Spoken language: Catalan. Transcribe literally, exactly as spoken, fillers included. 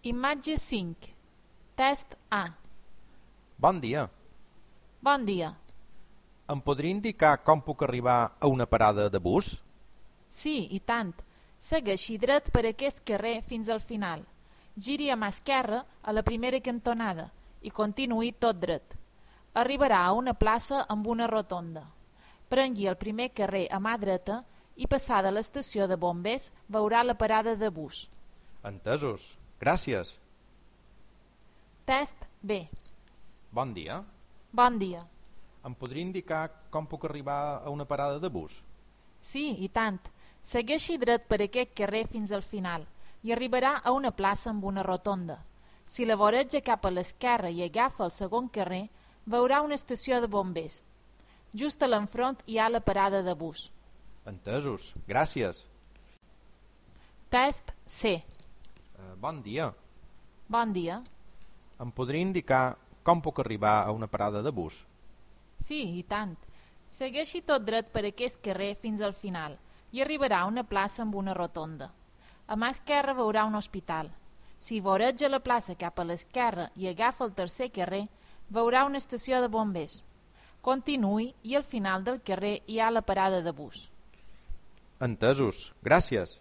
Imatge cinc. Test A. Bon dia. Bon dia. Em podria indicar com puc arribar a una parada de bus? Sí, i tant. Segueixi dret per aquest carrer fins al final. Giri a mà esquerra a la primera cantonada i continuï tot dret. Arribarà a una plaça amb una rotonda. Prengui el primer carrer a mà dreta i passada l'estació de bombers veurà la parada de bus. Entesos. Gràcies. Test B. Bon dia. Bon dia. Em podria indicar com puc arribar a una parada de bus? Sí, i tant. Segueixi dret per aquest carrer fins al final i arribarà a una plaça amb una rotonda. Si la voreja cap a l'esquerra i agafa el segon carrer, veurà una estació de bombers. Just a l'enfront hi ha la parada de bus. Entesos. Gràcies. Test C. Uh, bon dia. Bon dia. Em podria indicar com puc arribar a una parada de bus? Sí, i tant. Segueixi tot dret per aquest carrer fins al final i arribarà a una plaça amb una rotonda. A mà esquerra veurà un hospital. Si voreja la plaça cap a l'esquerra i agafa el tercer carrer, veurà una estació de bombers. Continuï i al final del carrer hi ha la parada de bus. Entesos. Gràcies.